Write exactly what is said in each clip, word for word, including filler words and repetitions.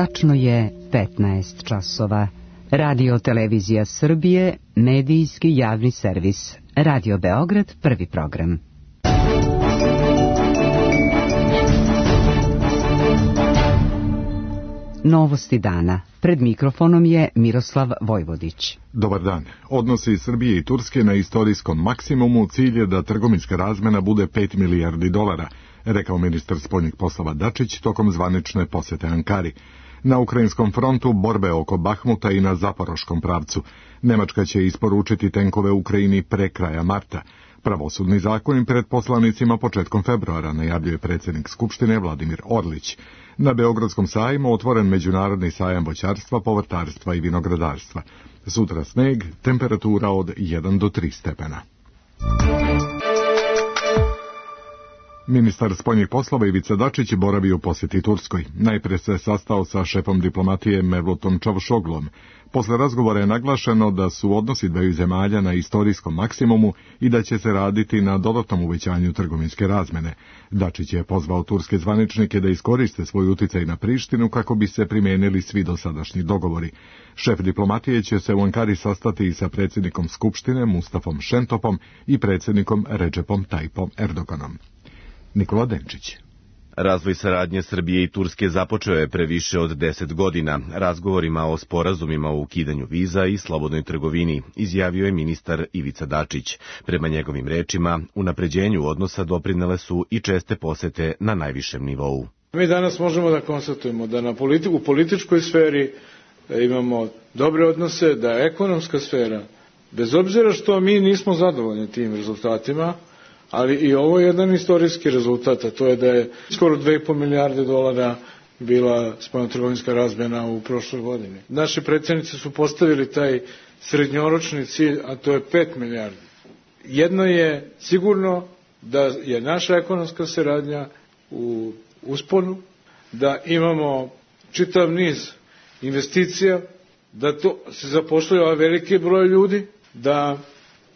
Tačno je petnaest časova. Radio Televizija Srbije, medijski javni servis. Radio Beograd, prvi program. Novosti dana. Pred mikrofonom je Miroslav Vojvodić. Dobar dan. Odnosi Srbije i Turske na istorijskom maksimumu. Cilj je da trgovinska razmena bude pet milijardi dolara, rekao ministar spoljnih poslova Dačić tokom zvanične posete Ankari. Na ukrajinskom frontu borbe oko Bahmuta i na Zaporoškom pravcu. Nemačka će isporučiti tenkove Ukrajini pre kraja marta. Pravosudni zakon pred poslanicima početkom februara, najavljuje predsjednik Skupštine Vladimir Orlić. Na Beogradskom sajmu otvoren međunarodni sajam voćarstva, povrtarstva i vinogradarstva. Sutra sneg, temperatura od jedan do tri stepena. Ministar spoljnih poslova Ivica Dačić boravi u posjeti Turskoj. Najprije se sastao sa šefom diplomatije Mevlutom Čavušoglom. Posle razgovora je naglašeno da su odnosi dveju zemalja na istorijskom maksimumu i da će se raditi na dodatnom uvećanju trgovinske razmene. Dačić je pozvao turske zvaničnike da iskoriste svoj uticaj na Prištinu kako bi se primijenili svi dosadašnji dogovori. Šef diplomatije će se u Ankari sastati i sa predsjednikom Skupštine Mustafom Šentopom i predsjednikom Redžepom Tajipom Erdoganom. Nikola Denčić. Razvoj saradnje Srbije i Turske započeo je pre više od deset godina razgovorima o sporazumima o ukidanju viza i slobodnoj trgovini, izjavio je ministar Ivica Dačić. Prema njegovim rečima, unapređenju odnosa doprinele su i česte posete na najvišem nivou. Mi danas možemo da konstatujemo da na politiku, u političkoj sferi imamo dobre odnose, da je ekonomska sfera, bez obzira što mi nismo zadovoljni tim rezultatima, ali i ovo je jedan istorijski rezultat, a to je da je skoro dve i po milijarde dolara bila spoljnotrgovinska razmjena u prošloj godini. Naši predsjednici su postavili taj srednjoročni cilj, a to je pet milijardi. Jedno je sigurno da je naša ekonomska saradnja u usponu, da imamo čitav niz investicija, da to se zapošljava veliki broj ljudi, da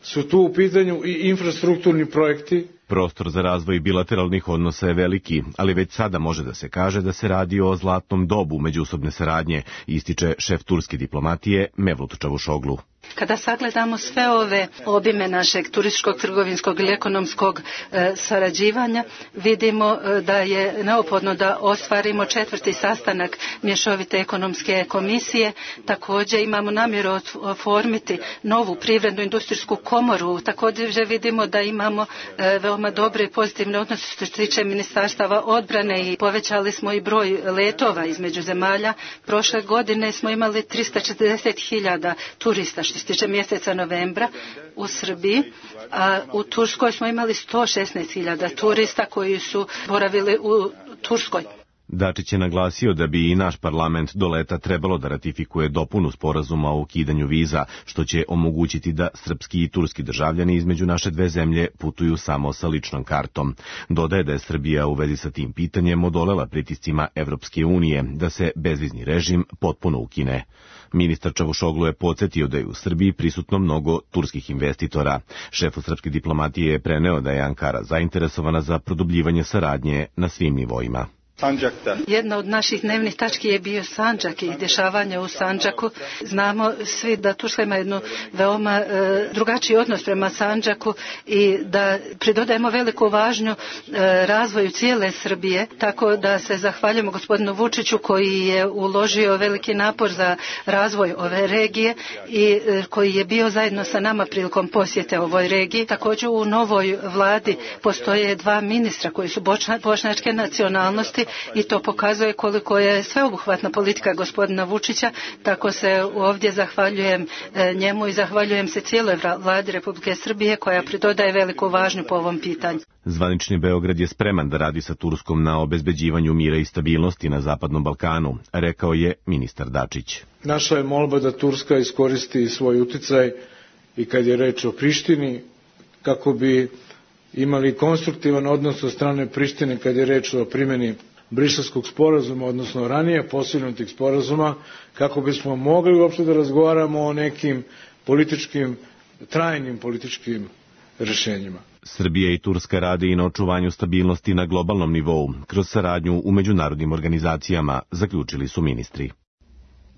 su tu u pitanju i infrastrukturni projekti. Prostor za razvoj bilateralnih odnosa je veliki, ali već sada može da se kaže da se radi o zlatnom dobu međusobne saradnje, ističe šef turske diplomatije Mevlut Čavušoglu. Kada sagledamo sve ove obime našeg turističkog, trgovinskog ili ekonomskog e, sarađivanja, vidimo e, da je neophodno da ostvarimo četvrti sastanak mješovite ekonomske komisije. Također imamo namjeru oformiti novu privrednu industrijsku komoru. Također vidimo da imamo e, veoma dobre i pozitivne odnose što se tiče ministarstava odbrane i povećali smo i broj letova između zemalja. Prošle godine smo imali trista četrdeset hiljada turista što se tiče mjeseca novembra u Srbiji, a u Turskoj smo imali sto šesnaest hiljada turista koji su boravili u Turskoj. Dačić je naglasio da bi i naš parlament do leta trebalo da ratifikuje dopunu sporazuma o ukidanju viza, što će omogućiti da srpski i turski državljani između naše dve zemlje putuju samo sa ličnom kartom. Dodaje da je Srbija u vezi sa tim pitanjem odolela pritiscima Evropske unije da se bezvizni režim potpuno ukine. Ministar Čavušoglu je podsjetio da je u Srbiji prisutno mnogo turskih investitora. Šefu srpske diplomatije je preneo da je Ankara zainteresovana za produbljivanje saradnje na svim nivoima. Sandžakta. Jedna od naših dnevnih tački je bio Sandžak i dešavanje u Sandžaku. Znamo svi da Turska ima jednu veoma e, drugačiji odnos prema Sandžaku i da pridodajemo veliku važnju e, razvoju cijele Srbije, tako da se zahvaljujemo gospodinu Vučiću koji je uložio veliki napor za razvoj ove regije i e, koji je bio zajedno sa nama prilikom posjete ovoj regiji. Također u novoj vladi postoje dva ministra koji su bočna, bošnjačke nacionalnosti i to pokazuje koliko je sveobuhvatna politika gospodina Vučića, tako se ovdje zahvaljujem njemu i zahvaljujem se cijeloj vladi Republike Srbije koja pridodaje veliku važnju po ovom pitanju. Zvanični Beograd je spreman da radi sa Turskom na obezbeđivanju mira i stabilnosti na Zapadnom Balkanu, rekao je ministar Dačić. Naša je molba da Turska iskoristi svoj uticaj i kad je reč o Prištini, kako bi imali konstruktivan odnos od strane Prištine kad je reč o primjeni Briselskog sporazuma, odnosno ranije postignutih sporazuma, kako bismo mogli uopšte da razgovaramo o nekim političkim, trajnim političkim rešenjima. Srbija i Turska rade i na očuvanju stabilnosti na globalnom nivou, kroz saradnju u međunarodnim organizacijama, zaključili su ministri.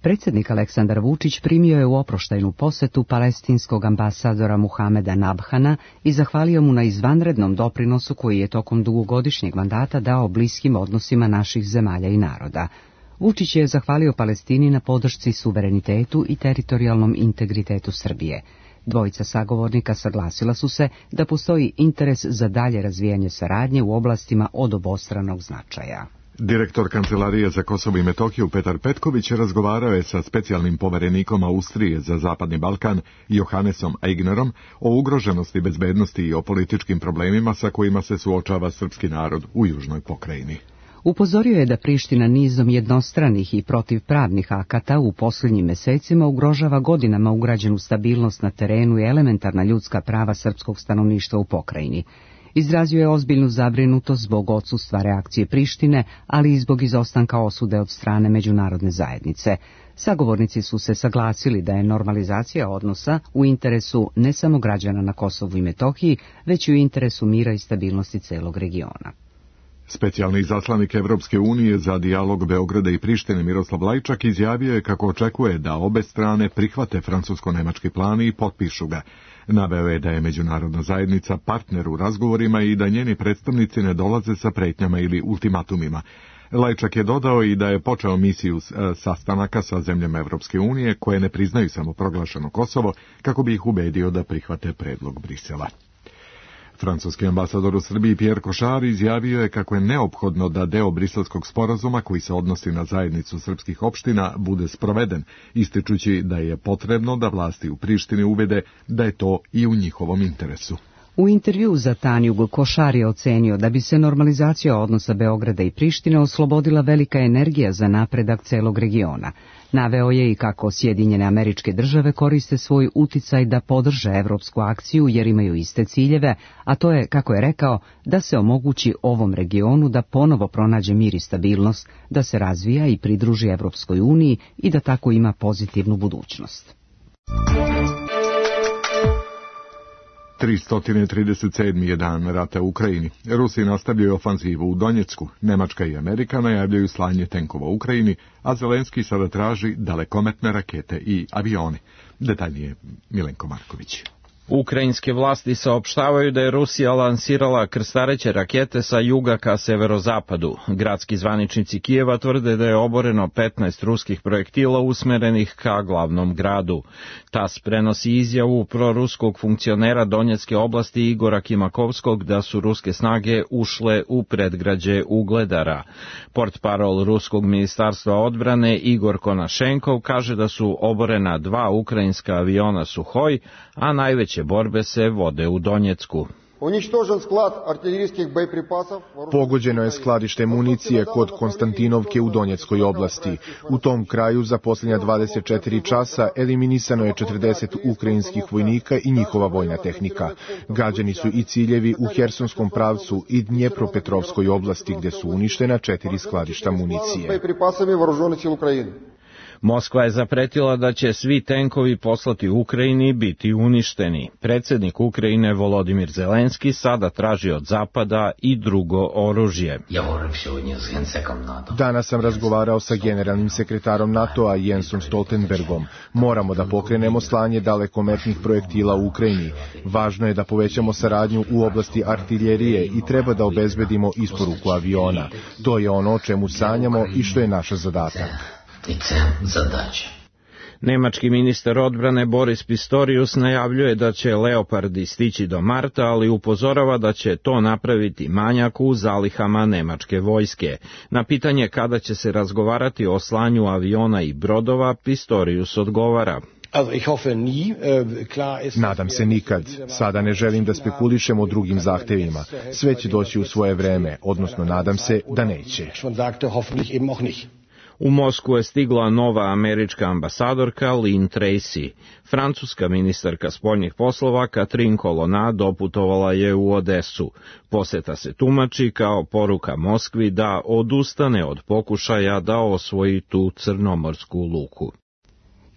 Predsjednik Aleksandar Vučić primio je u oproštajnu posetu palestinskog ambasadora Muhameda Nabhana i zahvalio mu na izvanrednom doprinosu koji je tokom dugogodišnjeg mandata dao bliskim odnosima naših zemalja i naroda. Vučić je zahvalio Palestini na podršci suverenitetu i teritorijalnom integritetu Srbije. Dvojica sagovornika saglasila su se da postoji interes za dalje razvijanje saradnje u oblastima od obostranog značaja. Direktor Kancelarije za Kosovo i Metohiju Petar Petković razgovarao je sa specijalnim poverenikom Austrije za Zapadni Balkan Johannesom Eignerom o ugroženosti bezbednosti i o političkim problemima sa kojima se suočava srpski narod u južnoj pokrajini. Upozorio je da Priština nizom jednostranih i protivpravnih akata u posljednjim mesecima ugrožava godinama ugrađenu stabilnost na terenu i elementarna ljudska prava srpskog stanovništva u pokrajini. Izrazio je ozbiljnu zabrinutost zbog odsustva reakcije Prištine, ali i zbog izostanka osude od strane međunarodne zajednice. Sagovornici su se saglasili da je normalizacija odnosa u interesu ne samo građana na Kosovu i Metohiji, već i u interesu mira i stabilnosti celog regiona. Specijalni izaslanik Evropske unije za dijalog Beograda i Prištine Miroslav Lajčak izjavio je kako očekuje da obe strane prihvate francusko-nemački plan i potpišu ga. Naveo je da je međunarodna zajednica partner u razgovorima i da njeni predstavnici ne dolaze sa pretnjama ili ultimatumima. Lajčak je dodao i da je počeo misiju sastanaka sa zemljama Evropske unije koje ne priznaju samoproglašeno Kosovo kako bi ih ubedio da prihvate predlog Brisela. Francuski ambasador u Srbiji Pierre Košar izjavio je kako je neophodno da deo briselskog sporazuma koji se odnosi na zajednicu srpskih opština bude sproveden, ističući da je potrebno da vlasti u Prištini ubede da je to i u njihovom interesu. U intervju za Tanjug Košar je ocenio da bi se normalizacija odnosa Beograda i Prištine oslobodila velika energija za napredak celog regiona. Naveo je i kako Sjedinjene Američke Države koriste svoj uticaj da podrže evropsku akciju jer imaju iste ciljeve, a to je, kako je rekao, da se omogući ovom regionu da ponovo pronađe mir i stabilnost, da se razvija i pridruži Evropskoj uniji i da tako ima pozitivnu budućnost. tristo trideset sedmi je dan rata u Ukrajini. Rusi nastavljaju ofanzivu u Donjecku. Nemačka i Amerika najavljaju slanje tenkova u Ukrajini, a Zelenski sada traži dalekometne rakete i avione. Detaljnije Milenko Marković. Ukrajinske vlasti saopštavaju da je Rusija lansirala krstareće rakete sa juga ka severozapadu. Gradski zvaničnici Kijeva tvrde da je oboreno petnaest ruskih projektila usmerenih ka glavnom gradu. TAS prenosi izjavu proruskog funkcionera Donjecke oblasti Igora Kimakovskog da su ruske snage ušle u predgrađe Ugledara. Portparol ruskog ministarstva odbrane Igor Konašenkov kaže da su oborena dva ukrajinska aviona Suhoj, a najveće borbe se vode u Donjecku. Pogođeno je skladište municije kod Konstantinovke u Donjeckoj oblasti. U tom kraju za posljednja dvadeset četiri časa eliminisano je četrdeset ukrajinskih vojnika i njihova vojna tehnika. Gađani su i ciljevi u Hersonskom pravcu i Dnjepropetrovskoj oblasti gdje su uništena četiri skladišta municije. Moskva je zapretila da će svi tenkovi poslati Ukrajini biti uništeni. Predsjednik Ukrajine Volodimir Zelenski sada traži od Zapada i drugo oružje. Danas sam razgovarao sa generalnim sekretarom NATO-a Jensom Stoltenbergom. Moramo da pokrenemo slanje dalekometnih projektila u Ukrajini. Važno je da povećamo saradnju u oblasti artiljerije i treba da obezbedimo isporuku aviona. To je ono o čemu sanjamo i što je naš zadatak. Nemački ministar odbrane Boris Pistorius najavljuje da će Leopardi stići do marta, ali upozorava da će to napraviti manjak u zalihama nemačke vojske. Na pitanje kada će se razgovarati o slanju aviona i brodova, Pistorius odgovara: Nadam se nikad. Sada ne želim da spekulišem o drugim zahtevima. Sve će doći u svoje vreme, odnosno nadam se da neće. U Moskvu je stigla nova američka ambasadorka Lynn Tracy. Francuska ministarka spoljnih poslova Catherine Colonna doputovala je u Odesu. Poseta se tumači kao poruka Moskvi da odustane od pokušaja da osvoji tu crnomorsku luku.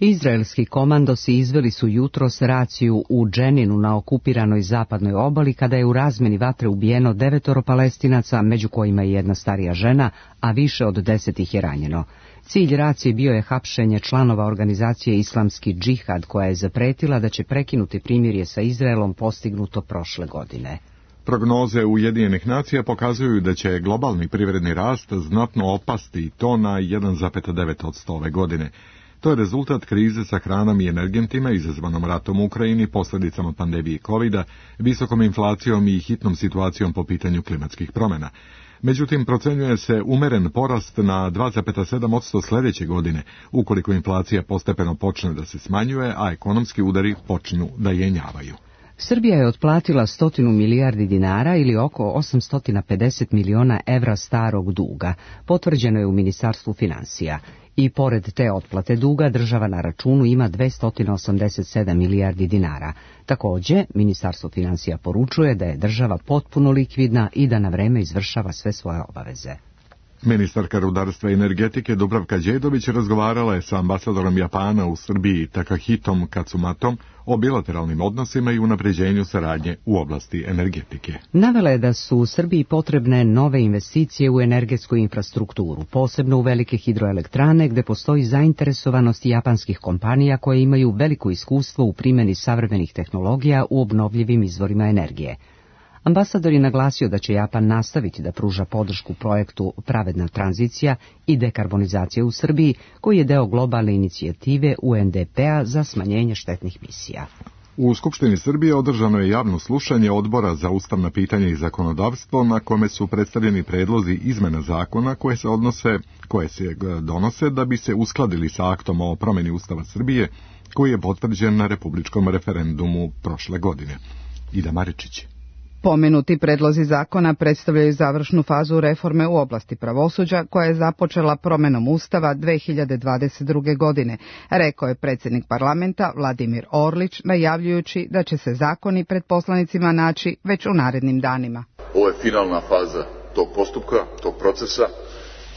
Izraelski komandosi izveli su jutros raciju u Dženinu na okupiranoj zapadnoj obali kada je u razmeni vatre ubijeno devetoro Palestinaca, među kojima je jedna starija žena, a više od deset ih je ranjeno. Cilj racije bio je hapšenje članova organizacije Islamski džihad, koja je zapretila da će prekinuti primirje sa Izraelom postignuto prošle godine. Prognoze Ujedinjenih nacija pokazuju da će globalni privredni rast znatno opasti i to na jedan zarez devet posto ove godine. To je rezultat krize sa hranom i energentima izazvanom ratom u Ukrajini, posljedicama pandemije kovida, visokom inflacijom i hitnom situacijom po pitanju klimatskih promjena. Međutim, procenjuje se umeren porast na dva zarez sedam posto sljedeće godine, ukoliko inflacija postepeno počne da se smanjuje, a ekonomski udari počnu da jenjavaju. Srbija je otplatila stotinu milijardi dinara ili oko osamsto pedeset miliona evra starog duga, potvrđeno je u Ministarstvu financija. I pored te otplate duga, država na računu ima dvesta osamdeset sedam milijardi dinara. Također, Ministarstvo financija poručuje da je država potpuno likvidna i da na vreme izvršava sve svoje obaveze. Ministarka rudarstva i energetike Dubravka Đedović razgovarala je sa ambasadorom Japana u Srbiji Takahitom Katsumatom o bilateralnim odnosima i unapređenju saradnje u oblasti energetike. Navela je da su u Srbiji potrebne nove investicije u energetsku infrastrukturu, posebno u velike hidroelektrane gdje postoji zainteresovanost japanskih kompanija koje imaju veliko iskustvo u primjeni savremenih tehnologija u obnovljivim izvorima energije. Ambasador je naglasio da će Japan nastaviti da pruža podršku projektu Pravedna tranzicija i dekarbonizacija u Srbiji, koji je deo globalne inicijative U N D P-a za smanjenje štetnih misija. U Skupštini Srbije održano je javno slušanje Odbora za ustavna pitanja i zakonodavstvo, na kome su predstavljeni predlozi izmena zakona koje se odnose, koje se donose da bi se uskladili sa aktom o promjeni Ustava Srbije, koji je potvrđen na republičkom referendumu prošle godine. Ida Maričić. Pomenuti predlozi zakona predstavljaju završnu fazu reforme u oblasti pravosuđa koja je započela promjenom Ustava dve hiljade dvadeset druge. godine, rekao je predsjednik parlamenta Vladimir Orlić, najavljujući da će se zakoni pred poslanicima naći već u narednim danima. Ovo je finalna faza tog postupka, tog procesa,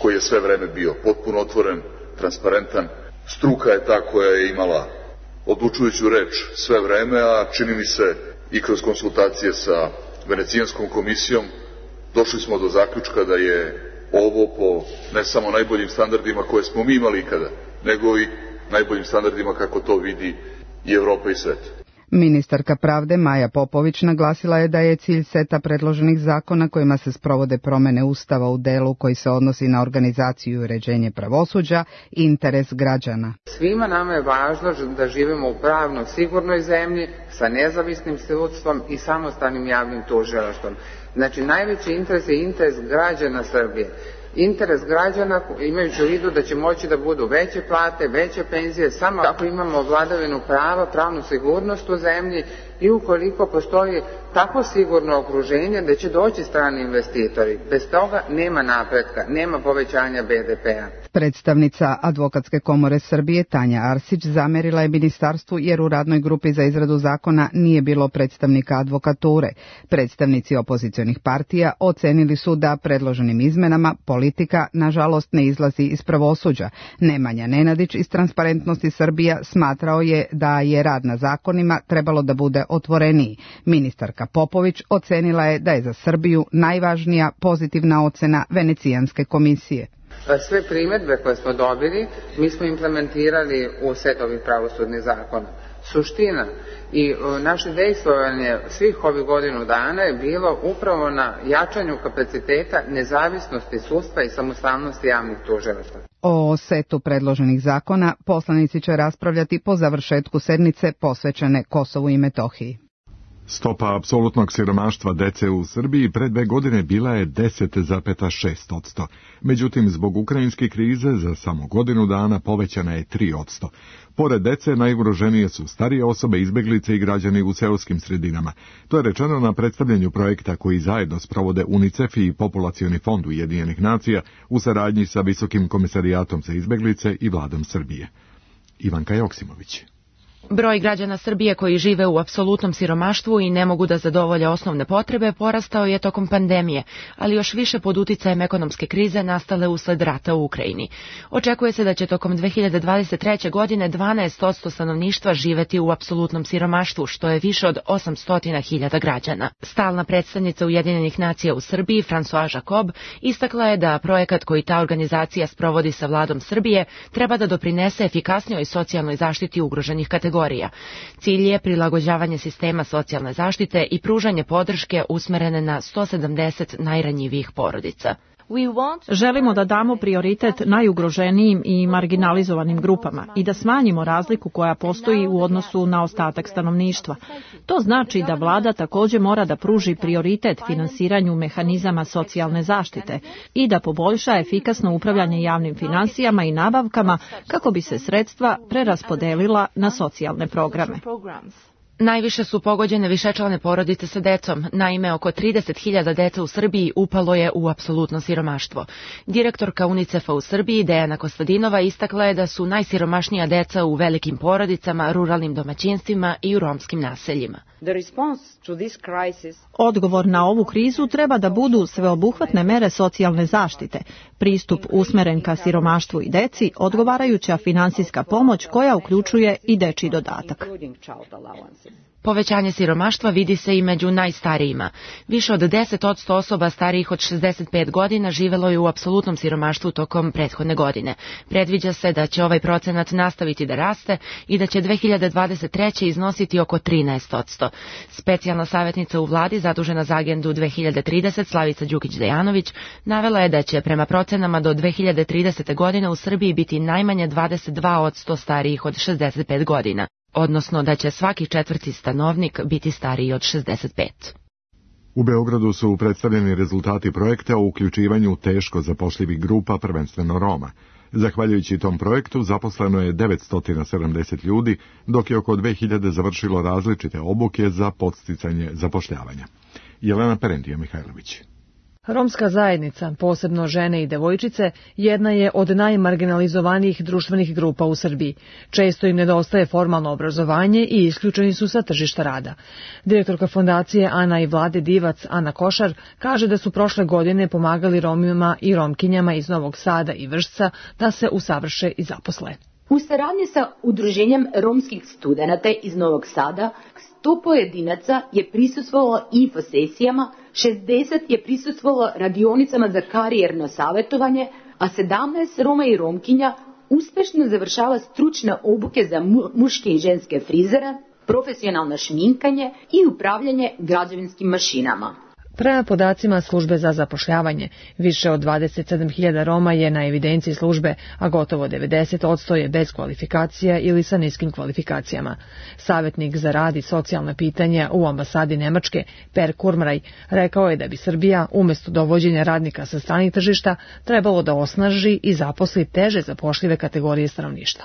koji je sve vreme bio potpuno otvoren, transparentan. Struka je ta koja je imala odlučujuću reč sve vreme, a čini mi se i kroz konsultacije sa Venecijanskom komisijom došli smo do zaključka da je ovo po ne samo najboljim standardima koje smo mi imali ikada, nego i najboljim standardima kako to vidi i Evropa i svet. Ministarka pravde Maja Popović naglasila je da je cilj seta predloženih zakona kojima se sprovode promjene Ustava u delu koji se odnosi na organizaciju i uređenje pravosuđa interes građana. Svima nama je važno da živimo u pravno sigurnoj zemlji sa nezavisnim sudstvom i samostalnim javnim tužilaštvom. Znači najveći interes je interes građana Srbije. Interes građana imajući u vidu da će moći da budu veće plate, veće penzije, samo ako imamo vladavinu prava, pravnu sigurnost u zemlji i ukoliko postoji tako sigurno okruženje da će doći strani investitori. Bez toga nema napretka, nema povećanja B D P-a. Predstavnica Advokatske komore Srbije Tanja Arsić zamerila je ministarstvu jer u radnoj grupi za izradu zakona nije bilo predstavnika advokature. Predstavnici opozicionih partija ocenili su da predloženim izmenama politika nažalost ne izlazi iz pravosuđa. Nemanja Nenadić iz Transparentnosti Srbija smatrao je da je rad na zakonima trebalo da bude otvoreniji. Ministarka Popović ocenila je da je za Srbiju najvažnija pozitivna ocena Venecijanske komisije. Sve primjedbe koje smo dobili mi smo implementirali u set ovih pravosudnih zakona. Suština i naše dejstvovanje svih ovih godinu dana je bilo upravo na jačanju kapaciteta nezavisnosti sudstva i samostalnosti javnih tužilaštva. O setu predloženih zakona poslanici će raspravljati po završetku sednice posvećene Kosovu i Metohiji. Stopa apsolutnog siromaštva dece u Srbiji pre dve godine bila je deset zarez šest posto. Međutim, zbog ukrajinske krize za samo godinu dana povećana je tri posto. Pored dece, najugroženije su starije osobe, izbeglice i građani u seoskim sredinama. To je rečeno na predstavljanju projekta koji zajedno sprovode UNICEF i Populacioni fond Ujedinjenih nacija u saradnji sa Visokim komisarijatom za izbeglice i vladom Srbije. Ivanka Joksimović. Broj građana Srbije koji žive u apsolutnom siromaštvu i ne mogu da zadovolje osnovne potrebe porastao je tokom pandemije, ali još više pod uticajem ekonomske krize nastale usled rata u Ukrajini. Očekuje se da će tokom dve hiljade dvadeset treće. godine dvanaest posto stanovništva živeti u apsolutnom siromaštvu, što je više od osamsto hiljada građana. Stalna predstavnica Ujedinjenih nacija u Srbiji, François Jacob, istakla je da projekat koji ta organizacija sprovodi sa vladom Srbije treba da doprinese efikasnijoj socijalnoj zaštiti ugroženih kategorija. Cilj je prilagođavanje sistema socijalne zaštite i pružanje podrške usmerene na sto sedamdeset najranjivijih porodica. Želimo da damo prioritet najugroženijim i marginalizovanim grupama i da smanjimo razliku koja postoji u odnosu na ostatak stanovništva. To znači da vlada također mora da pruži prioritet finansiranju mehanizama socijalne zaštite i da poboljša efikasno upravljanje javnim finansijama i nabavkama kako bi se sredstva preraspodelila na socijalne programe. Najviše su pogođene višečlane porodice sa decom. Naime, oko trideset hiljada dece u Srbiji upalo je u apsolutno siromaštvo. Direktorka UNICEF-a u Srbiji, Dejana Kostadinova, istakla je da su najsiromašnija deca u velikim porodicama, ruralnim domaćinstvima i u romskim naseljima. Odgovor na ovu krizu treba da budu sveobuhvatne mere socijalne zaštite, pristup usmeren ka siromaštvu i deci, odgovarajuća finansijska pomoć koja uključuje i dečji dodatak. Povećanje siromaštva vidi se i među najstarijima. Više od deset posto osoba starijih od šezdeset pet godina živelo je u apsolutnom siromaštvu tokom prethodne godine. Predviđa se da će ovaj procenat nastaviti da raste i da će dve hiljade dvadeset treće. iznositi oko trinaest posto. Specijalna savjetnica u vladi zadužena za agendu dve hiljade trideset, Slavica Đukić-Dejanović, navela je da će prema procenama do dve hiljade tridesete. godine u Srbiji biti najmanje dvadeset dva posto starijih od šezdeset pet godina. Odnosno da će svaki četvrti stanovnik biti stariji od šezdeset pet. U Beogradu su predstavljeni rezultati projekta o uključivanju teško zapošljivih grupa, prvenstveno Roma. Zahvaljujući tom projektu zaposleno je devetsto sedamdeset ljudi, dok je oko dve hiljade završilo različite obuke za podsticanje zapošljavanja. Jelena Perentija Mihajlović. Romska zajednica, posebno žene i devojčice, jedna je od najmarginalizovanijih društvenih grupa u Srbiji. Često im nedostaje formalno obrazovanje i isključeni su sa tržišta rada. Direktorka fondacije Ana i Vlade Divac, Ana Košar, kaže da su prošle godine pomagali Romima i Romkinjama iz Novog Sada i Vršca da se usavrše i zaposle. U saradnji sa Udruženjem romskih studenata iz Novog Sada, sto pojedinaca je prisustvovalo infosesijama, šezdeset je prisustvovalo radionicama za karijerno savjetovanje, a sedamnaest Roma i Romkinja uspešno završava stručne obuke za mu- muške i ženske frizere, profesionalno šminkanje i upravljanje građevinskim mašinama. Prema podacima službe za zapošljavanje, više od dvadeset sedam hiljada Roma je na evidenciji službe, a gotovo devedeset posto je bez kvalifikacija ili sa niskim kvalifikacijama. Savjetnik za rad i socijalna pitanja u ambasadi Nemačke, Per Kurmraj, rekao je da bi Srbija, umjesto dovođenja radnika sa stranih tržišta, trebalo da osnaži i zaposli teže zapošljive kategorije stanovništva.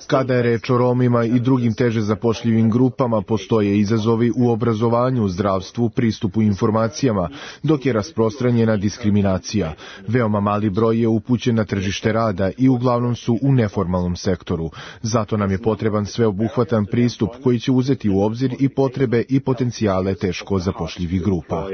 Kada je reč o Romima i drugim teže zapošljivim grupama, postoje izazovi u obrazovanju, zdravstvu, pristupu informacijama, dok je rasprostranjena diskriminacija. Veoma mali broj je upućen na tržište rada i uglavnom su u neformalnom sektoru. Zato nam je potreban sveobuhvatan pristup koji će uzeti u obzir i potrebe i potencijale teško zapošljivih grupa.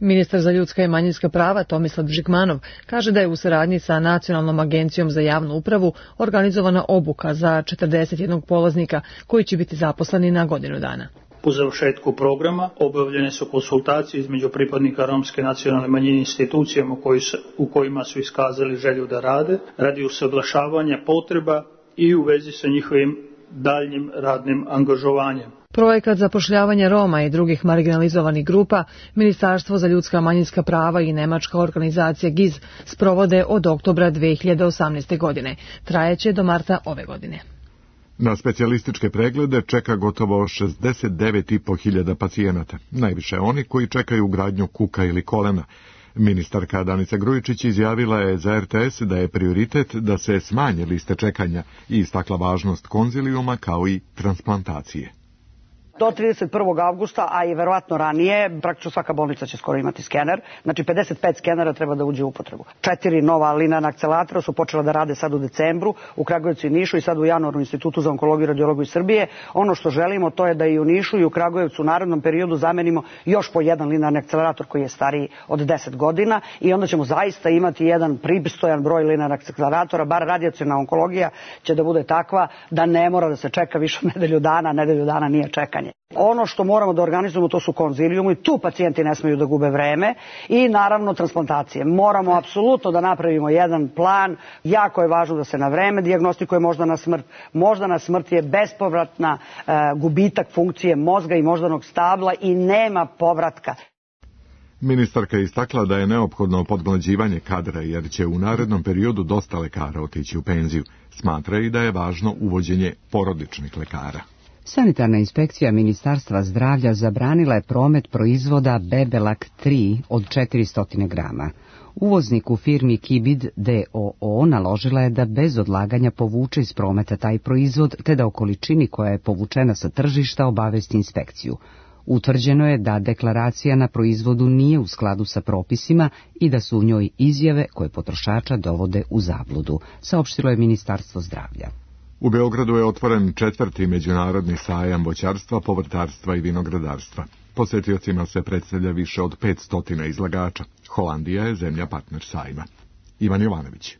Ministar za ljudska i manjinska prava Tomislav Žigmanov kaže da je u saradnji sa Nacionalnom agencijom za javnu upravu organizovana obuka za četrdeset jednog polaznika koji će biti zaposleni na godinu dana. Po završetku programa obavljene su konsultacije između pripadnika romske nacionalne manjine institucijama koji su, u kojima su iskazali želju da rade, radi usaglašavanja potreba i u vezi sa njihovim daljnjim radnim angažovanjem. Projekat zapošljavanja Roma i drugih marginalizovanih grupa, Ministarstvo za ljudska manjinska prava i nemačka organizacija G I Z sprovode od oktobra dve hiljade osamnaeste. godine. Trajeće do marta ove godine. Na specijalističke preglede čeka gotovo šezdeset devet i po hiljada pacijenata, najviše oni koji čekaju ugradnju kuka ili kolena. Ministarka Danica Grujičić izjavila je za R T S da je prioritet da se smanje liste čekanja i istakla važnost konzilijuma kao i transplantacije. Do trideset prvog avgusta, a i verovatno ranije, praktično svaka bolnica će skoro imati skener. Znači pedeset pet skenera treba da uđe u upotrebu. Četiri nova linearna akceleratora su počela da rade sad u decembru u Kragujevcu i Nišu i sad u januaru u Institutu za onkologiju i radiologiju Srbije. Ono što želimo to je da i u Nišu i u Kragujevcu u narednom periodu zamenimo još po jedan linearni akcelerator koji je stariji od deset godina i onda ćemo zaista imati jedan pristojan broj linearnih akceleratora, bar radijaciona onkologija će da bude takva da ne mora da se čeka više nedelju dana, nedelju dana nije čekanje. Ono što moramo da organizujemo to su konzilijumi i tu pacijenti ne smeju da gube vreme i naravno transplantacije. Moramo apsolutno da napravimo jedan plan, jako je važno da se na vreme dijagnostikuje moždana smrt. Moždana smrt je bespovratna e, gubitak funkcije mozga i moždanog stabla i nema povratka. Ministarka je istakla da je neophodno podmlađivanje kadra jer će u narednom periodu dosta lekara otići u penziju. Smatra i da je važno uvođenje porodičnih lekara. Sanitarna inspekcija Ministarstva zdravlja zabranila je promet proizvoda Bebelak tri od četiristo grama. Uvozniku firmi Kibid d o o naložila je da bez odlaganja povuče iz prometa taj proizvod te da o količini koja je povučena sa tržišta obavesti inspekciju. Utvrđeno je da deklaracija na proizvodu nije u skladu sa propisima i da su u njoj izjave koje potrošača dovode u zabludu, saopštilo je Ministarstvo zdravlja. U Beogradu je otvoren četvrti međunarodni sajam voćarstva, povrtarstva i vinogradarstva. Posetiocima se predstavlja više od petsto izlagača. Holandija je zemlja partner sajma. Ivan Jovanović.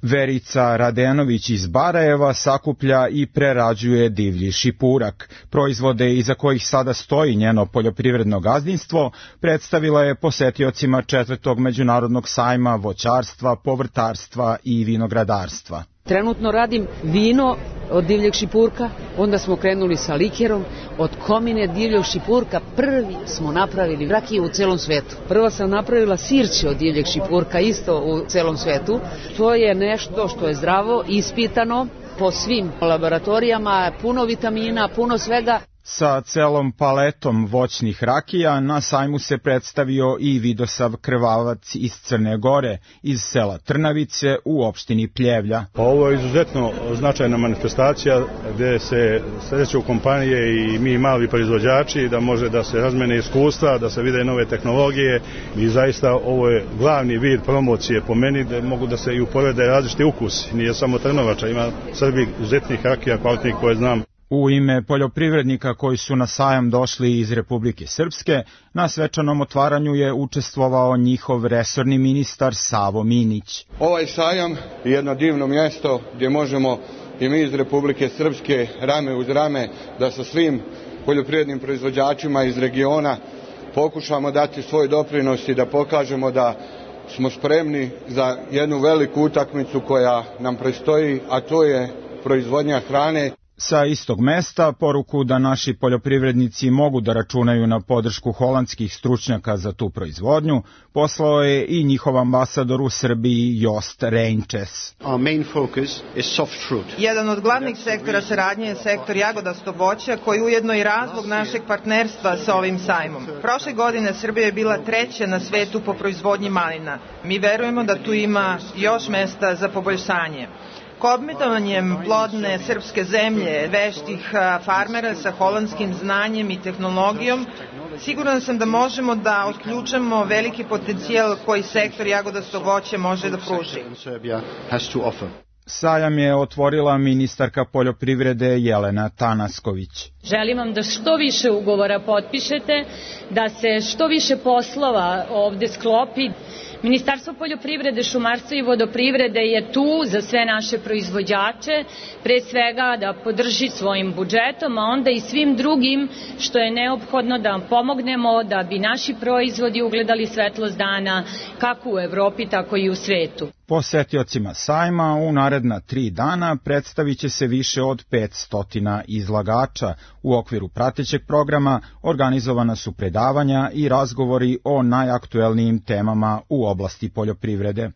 Verica Radenović iz Barajeva sakuplja i prerađuje divlji šipurak. Proizvode iza kojih sada stoji njeno poljoprivredno gazdinstvo predstavila je posetiocima četvrtog međunarodnog sajma voćarstva, povrtarstva i vinogradarstva. Trenutno radim vino od divljeg šipurka, onda smo krenuli sa likerom, od komine divljeg šipurka prvi smo napravili rakiju u celom svetu. Prva sam napravila sirće od divljeg šipurka isto u celom svetu. To je nešto što je zdravo, ispitano po svim laboratorijama, puno vitamina, puno svega. Sa celom paletom voćnih rakija na sajmu se predstavio i Vidosav Krvavac iz Crne Gore, iz sela Trnavice u opštini Pljevlja. Ovo je izuzetno značajna manifestacija gdje se sreću kompanije i mi mali proizvođači da može da se razmene iskustva, da se vide nove tehnologije i zaista ovo je glavni vid promocije po meni da mogu da se i uporede različiti ukusi. Nije samo Trnovača, ima Srbi izuzetnih rakija, kvalitnih koje znam. U ime poljoprivrednika koji su na sajam došli iz Republike Srpske, na svečanom otvaranju je učestvovao njihov resorni ministar Savo Minić. Ovaj sajam je jedno divno mjesto gdje možemo i mi iz Republike Srpske rame uz rame da sa svim poljoprivrednim proizvođačima iz regiona pokušamo dati svoj doprinos i da pokažemo da smo spremni za jednu veliku utakmicu koja nam predstoji, a to je proizvodnja hrane. Sa istog mesta poruku da naši poljoprivrednici mogu da računaju na podršku holandskih stručnjaka za tu proizvodnju poslao je i njihov ambasador u Srbiji Jost Reinčes. Jedan od glavnih sektora saradnje je sektor jagodasto voće koji ujedno i razlog našeg partnerstva sa ovim sajmom. Prošle godine Srbija je bila treća na svetu po proizvodnji malina. Mi verujemo da tu ima još mesta za poboljšanje. Kombinovanjem plodne srpske zemlje, veštih farmera sa holandskim znanjem i tehnologijom, siguran sam da možemo da otključamo veliki potencijal koji sektor jagodasto voće može da pruži. Sajam je otvorila ministarka poljoprivrede Jelena Tanasković. Želim vam da što više ugovora potpišete, da se što više poslova ovde sklopi. Ministarstvo poljoprivrede, šumarstva i vodoprivrede je tu za sve naše proizvođače, pre svega da podrži svojim budžetom, a onda i svim drugim što je neophodno da vam pomognemo da bi naši proizvodi ugledali svetlost dana kako u Evropi, tako i u svetu. Posetiocima sajma u naredna tri dana predstavit će se više od petsto izlagača. U okviru pratećeg programa organizovana su predavanja i razgovori o najaktuelnijim temama u oblasti poljoprivrede.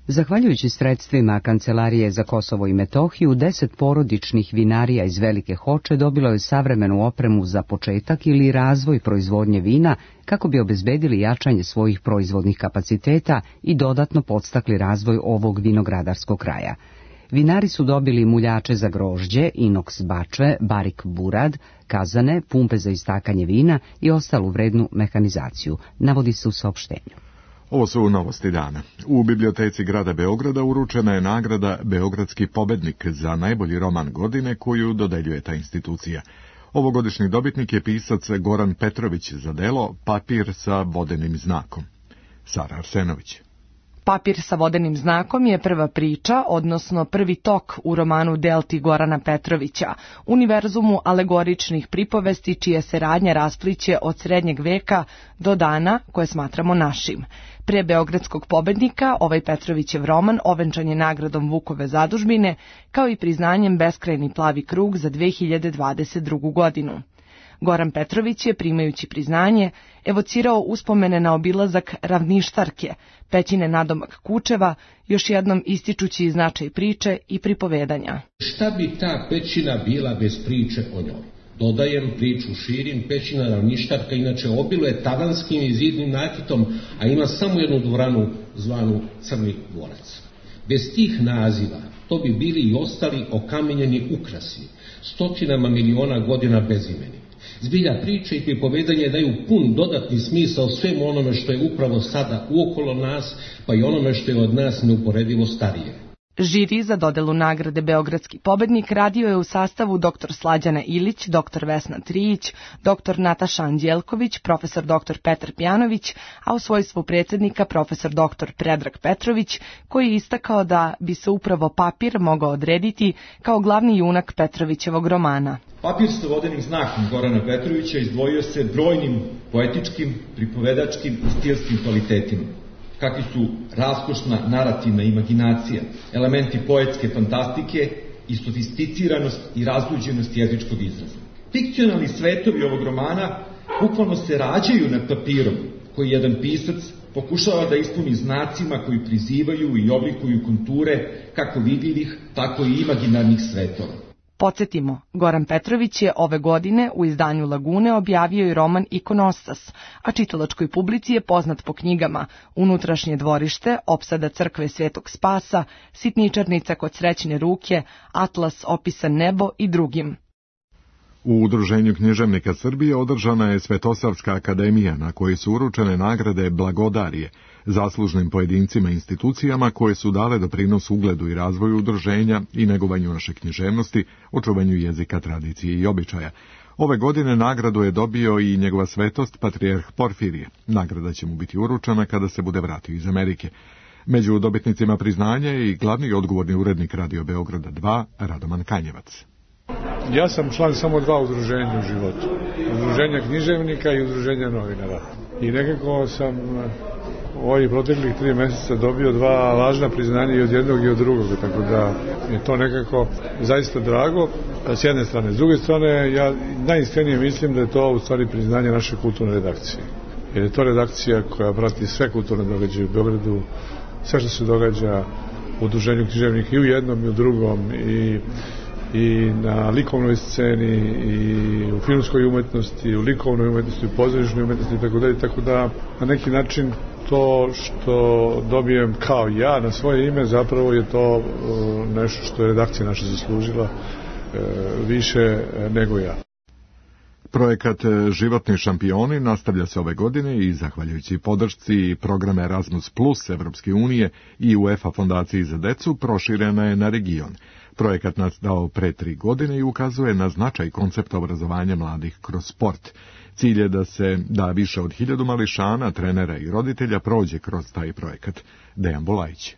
Zahvaljujući sredstvima Kancelarije za Kosovo i Metohiju, deset porodičnih vinarija iz Velike Hoče dobilo je savremenu opremu za početak ili razvoj proizvodnje vina kako bi obezbedili jačanje svojih proizvodnih kapaciteta i dodatno podstakli razvoj ovog vinogradarskog kraja. Vinari su dobili muljače za grožđe, inoks bačve, barik burad, kazane, pumpe za istakanje vina i ostalu vrednu mehanizaciju, navodi se u saopštenju. Ovo su novosti dana. U biblioteci grada Beograda uručena je nagrada Beogradski pobednik za najbolji roman godine koju dodeljuje ta institucija. Ovogodišnji dobitnik je pisac Goran Petrović za delo Papir sa vodenim znakom. Sara Arsenović. Papir sa vodenim znakom je prva priča, odnosno prvi tok u romanu Delti Gorana Petrovića, univerzumu alegoričnih pripovesti čija se radnja raspliće od srednjeg veka do dana koje smatramo našim. Pre Beogradskog pobednika ovaj Petrovićev roman ovenčan je nagradom Vukove zadužbine, kao i priznanjem Beskrajni plavi krug za dve hiljade dvadeset drugu. godinu. Goran Petrović je, primajući priznanje, evocirao uspomene na obilazak Ravništarke, pećine nadomak Kučeva, još jednom ističući značaj priče i pripovedanja. Šta bi ta pećina bila bez priče o njoj? Dodajem, priču širim, pećina Ravništarka inače obiluje tavanskim i zidnim nakitom, a ima samo jednu dvoranu zvanu Crni dvorac. Bez tih naziva to bi bili i ostali okamenjeni ukrasi, stotinama miliona godina bezimeni. Zbilja priče i pripovedanje daju pun dodatni smisao svemu onome što je upravo sada uokolo nas, pa i onome što je od nas neuporedivo starije. Žiri za dodelu nagrade Beogradski pobednik radio je u sastavu doktor Slađana Ilić, doktor Vesna Trijić, doktor Nataša Anđelković, profesor doktor Petar Pjanović, a u svojstvu predsjednika profesor doktor Predrag Petrović, koji je istakao da bi se upravo papir mogao odrediti kao glavni junak Petrovićevog romana. Papir sa vodenim znakom Gorana Petrovića izdvojio se brojnim poetičkim, pripovedačkim i stilskim kvalitetima, kakvi su raskošna narativna imaginacija, elementi poetske fantastike i sofisticiranost i razluđenost jezičkog izraza. Fikcionalni svetovi ovog romana bukvalno se rađaju nad papirom, koji jedan pisac pokušava da ispuni znacima koji prizivaju i oblikuju konture kako vidljivih, tako i imaginarnih svetova. Podsjetimo, Goran Petrović je ove godine u izdanju Lagune objavio i roman Ikonostas, a čitalačkoj publici je poznat po knjigama Unutrašnje dvorište, Opsada crkve Svetog Spasa, Sitničarnica kod srećne ruke, Atlas opisan nebo i drugim. U Udruženju književnika Srbije održana je Svetosavska akademija na kojoj su uručene nagrade Blagodarije, zaslužnim pojedincima i institucijama koje su dale doprinos ugledu i razvoju udruženja i negovanju naše književnosti, očuvanju jezika, tradicije i običaja. Ove godine nagradu je dobio i njegova svetost patrijarh Porfirije. Nagrada će mu biti uručena kada se bude vratio iz Amerike. Među dobitnicima priznanja je i glavni i odgovorni urednik Radio Beograda dva, Radoman Kanjevac. Ja sam član samo dva udruženja u životu. Udruženja književnika i udruženja novinara. I nekako sam u ovih proteklih tri mjeseca dobio dva važna priznanja i od jednog i od drugog, tako da je to nekako zaista drago. S jedne strane. S druge strane, ja najiskrenije mislim da je to u stvari priznanje naše kulturne redakcije. Jer je to redakcija koja prati sve kulturne događaje u Beogradu, sve što se događa u udruženju književnika i u jednom i u drugom, i i na likovnoj sceni, i u filmskoj umetnosti, i u likovnoj umetnosti, u pozorišnoj umetnosti, tako da, tako da na neki način to što dobijem kao ja na svoje ime, zapravo je to uh, nešto što je redakcija naša zaslužila uh, više nego ja. Projekat Životni šampioni nastavlja se ove godine i zahvaljujući podršci programa Erasmus plus Evropske unije i UEFA fondaciji za decu proširena je na region. Projekat nastao pre tri godine i ukazuje na značaj koncepta obrazovanja mladih kroz sport. Cilj je da se da više od hiljadu mališana, trenera i roditelja prođe kroz taj projekat. Dejan Bulajić.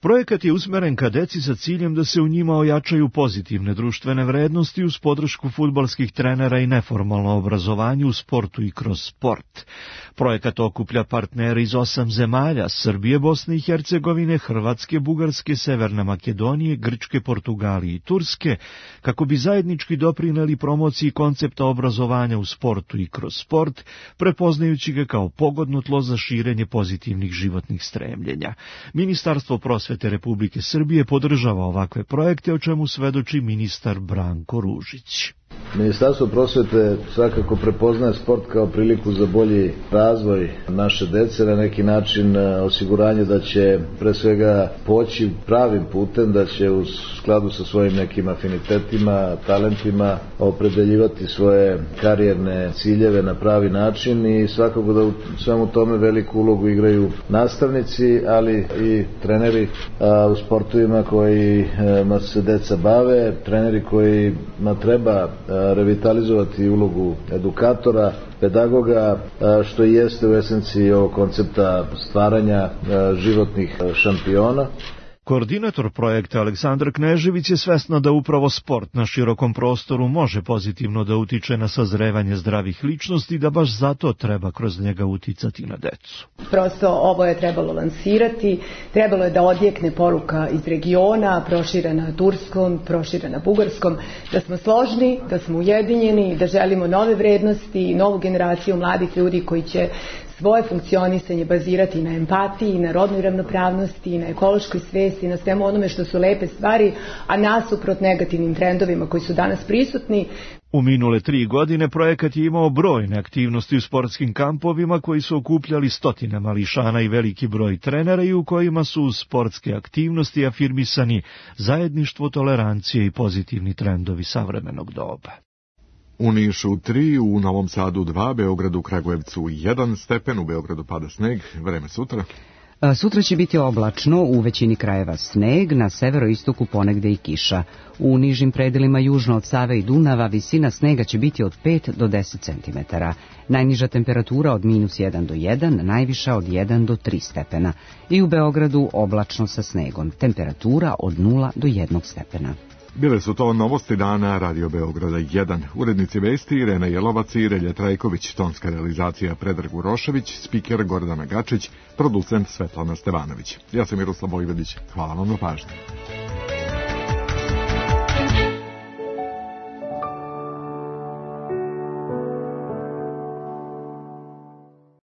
Projekat je usmeren ka deci sa ciljem da se u njima ojačaju pozitivne društvene vrednosti uz podršku fudbalskih trenera i neformalno obrazovanje u sportu i kroz sport. Projekat okuplja partnere iz osam zemalja: Srbije, Bosne i Hercegovine, Hrvatske, Bugarske, Severne Makedonije, Grčke, Portugalije i Turske, kako bi zajednički doprineli promociji koncepta obrazovanja u sportu i kroz sport, prepoznajući ga kao pogodno tlo za širenje pozitivnih životnih stremljenja. Ministarstvo prosvete Republike Srbije podržava ovakve projekte, o čemu svedoči ministar Branko Ružić. Ministarstvo prosvete svakako prepoznaje sport kao priliku za bolji razvoj naše dece, na neki način osiguranje da će pre svega poći pravim putem, da će u skladu sa svojim nekim afinitetima, talentima opredeljivati svoje karijerne ciljeve na pravi način i svakako da u svemu tome veliku ulogu igraju nastavnici, ali i treneri a, u sportovima kojima se deca bave, treneri kojima treba a, revitalizovati ulogu edukatora, pedagoga, a, što i jeste u esenciji ovog koncepta stvaranja a, životnih šampiona. Koordinator projekta Aleksandar Knežević je svesna da upravo sport na širokom prostoru može pozitivno da utiče na sazrevanje zdravih ličnosti i da baš zato treba kroz njega uticati na decu. Prosto ovo je trebalo lansirati, trebalo je da odjekne poruka iz regiona, proširena na turskom, proširena na bugarskom, da smo složni, da smo ujedinjeni, da želimo nove vrednosti, novu generaciju mladih ljudi koji će svoje funkcionisanje bazirati na empatiji, na rodnoj ravnopravnosti, na ekološkoj svesti, na svemu onome što su lepe stvari, a nasuprot negativnim trendovima koji su danas prisutni. U minule tri godine projekat je imao brojne aktivnosti u sportskim kampovima koji su okupljali stotine mališana i veliki broj trenera i u kojima su uz sportske aktivnosti afirmisani zajedništvo, tolerancije i pozitivni trendovi savremenog doba. U Nišu tri, u Novom Sadu dva, Beogradu, Kragujevcu jedan stepen, u Beogradu pada sneg, vreme sutra. Sutra će biti oblačno, u većini krajeva sneg, na severoistoku ponegde i kiša. U nižim predelima južno od Save i Dunava visina snega će biti od pet do deset centimetara. Najniža temperatura od minus jedan do jedan, najviša od jedan do tri stepena. I u Beogradu oblačno sa snegom, temperatura od nula do jednog stepena. Bile su to novosti dana Radio Beograda jedan. Urednici vesti Irena Jelovac i Relja Trajković, tonska realizacija Predrag Urošević, spiker Gordana Gačić, producent Svetlana Stevanović. Ja sam Miroslav Vojvodić. Hvala vam na pažnji.